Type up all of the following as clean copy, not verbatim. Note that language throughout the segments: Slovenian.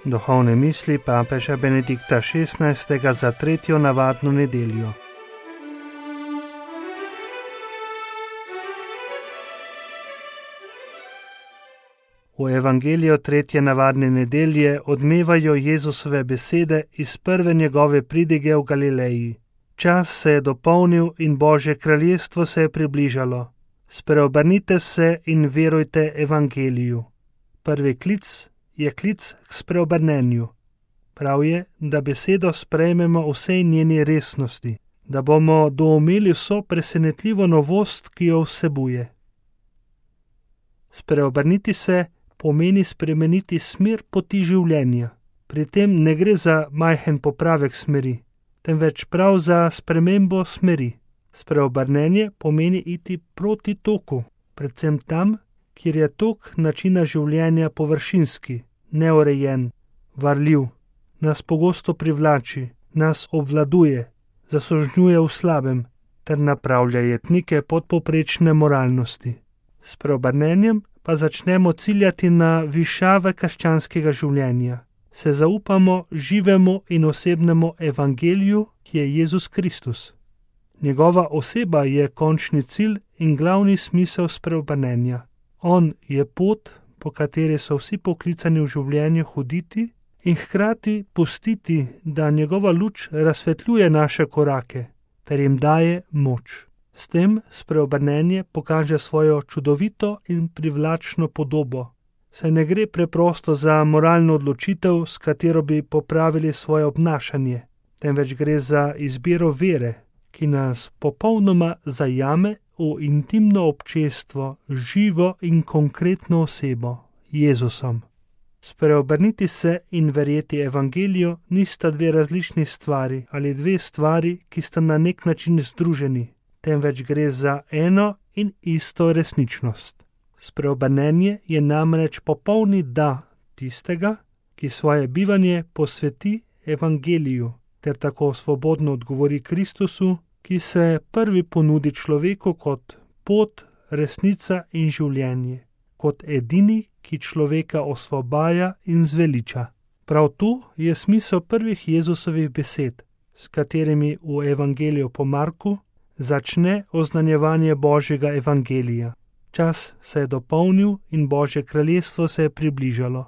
Duhovne misli papeža Benedikta XVI. Za tretjo navadno nedeljo. V evangeliju tretje navadne nedelje odmevajo Jezusove besede iz prve njegove pridige v Galileji. Čas se je dopolnil in Božje kraljestvo se je približalo. Spreobrnite se in verujte evangeliju. Prvi klic je klic k spreobrnenju. Prav je, da besedo sprejmemo v vsej njeni resnosti, da bomo doumeli vso presenetljivo novost, ki jo vsebuje. Spreobrniti se pomeni spremeniti smer poti življenja. Pri tem ne gre za majhen popravek smeri, temveč prav za spremembo smeri. Spreobrnenje pomeni iti proti toku, predvsem tam, kjer je tok načina življenja površinski, neurejen, varljiv, nas pogosto privlači, nas obvladuje, zasužnjuje v slabem ter napravlja jetnike podpovprečne moralnosti. S preobrnenjem pa začnemo ciljati na višave krščanskega življenja. Se zaupamo živemu in osebnemu evangeliju, ki je Jezus Kristus. Njegova oseba je končni cilj in glavni smisel spreobrnenja. On je pot, po kateri so vsi poklicani v življenju hoditi in hkrati pustiti, da njegova luč razsvetljuje naše korake ter jim daje moč. S tem spreobrnenje pokaže svojo čudovito in privlačno podobo. Saj ne gre preprosto za moralno odločitev, s katero bi popravili svoje obnašanje, temveč gre za izbiro vere, ki nas popolnoma zajame v intimno občestvo z živo in konkretno osebo, Jezusom. Spreobrniti se in verjeti evangeliju nista dve različni stvari ali dve stvari, ki sta na nek način združeni, temveč gre za eno in isto resničnost. Spreobrnenje je namreč popolni da tistega, ki svoje bivanje posveti evangeliju, ter tako svobodno odgovori Kristusu, ki se prvi ponudi človeku kot pot, resnica in življenje, kot edini, ki človeka osvobaja in zveliča. Prav tu je smisel prvih Jezusovih besed, s katerimi v evangeliju po Marku začne oznanjevanje Božjega evangelija. Čas se je dopolnil in Božje kraljestvo se je približalo.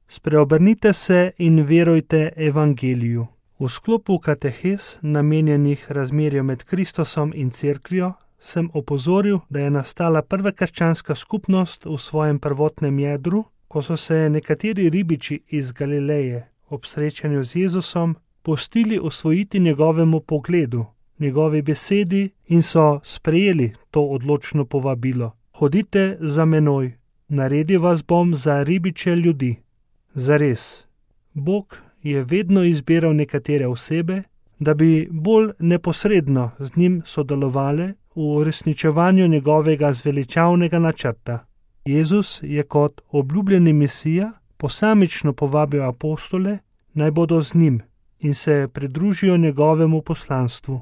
Spreobrnite se in verujte evangeliju. V sklopu katehes, namenjenih razmerju med Kristusom in cerkvijo, sem opozoril, da je nastala prva krščanska skupnost v svojem prvotnem jedru, ko so se nekateri ribiči iz Galileje ob srečanju z Jezusom pustili osvojiti njegovemu pogledu, njegovi besedi in so sprejeli to odločno povabilo. Hodite za menoj, naredil vas bom za ribiče ljudi. Zares, Bog je vedno izbiral nekatere osebe, da bi bolj neposredno z njim sodelovale v uresničevanju njegovega zveličavnega načrta. Jezus je kot obljubljeni Mesija posamično povabil apostole, naj bodo z njim in se pridružijo njegovemu poslanstvu.